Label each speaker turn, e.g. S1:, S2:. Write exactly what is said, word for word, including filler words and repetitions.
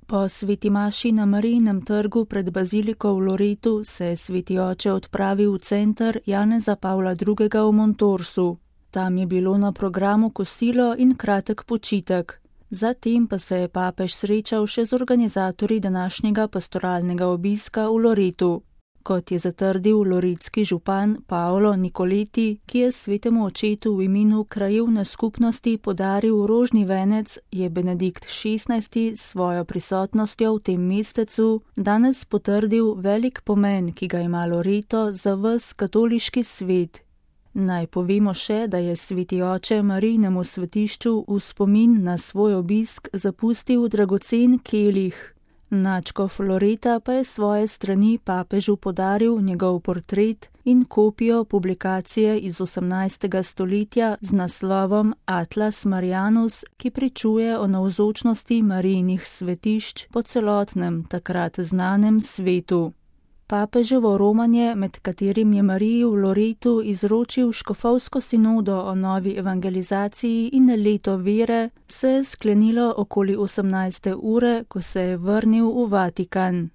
S1: Po sveti maši na Marijinem trgu pred baziliko v Loretu se je sveti oče odpravil v center Janeza Pavla drugega v Montorsu. Tam je bilo na programu kosilo in kratek počitek. Zatem pa se je papež srečal še z organizatorji današnjega pastoralnega obiska v Loretu. Kot je zatrdil loretski župan Paolo Nicoleti, ki je svetemu očetu v imenu krajevne skupnosti podaril rožni venec, je Benedikt šestnajsti s svojo prisotnostjo v tem mestecu danes potrdil velik pomen, ki ga ima Loreto za ves katoliški svet. Naj povemo še, da je sveti oče Marijinemu svetišču v spomin na svoj obisk zapustil dragocen kelih. Nadškof Loreta pa je svoje strani papežu podaril njegov portret in kopijo publikacije iz osemnajstega stoletja z naslovom Atlas Marianus, ki pričuje o navzočnosti Marijinih svetišč po celotnem takrat znanem svetu. Papeževo romanje, med katerim je Mariji v Loretu izročil škofovsko sinodo o novi evangelizaciji in leto vere, se je sklenilo okoli osemnajste ure, ko se je vrnil v Vatikan.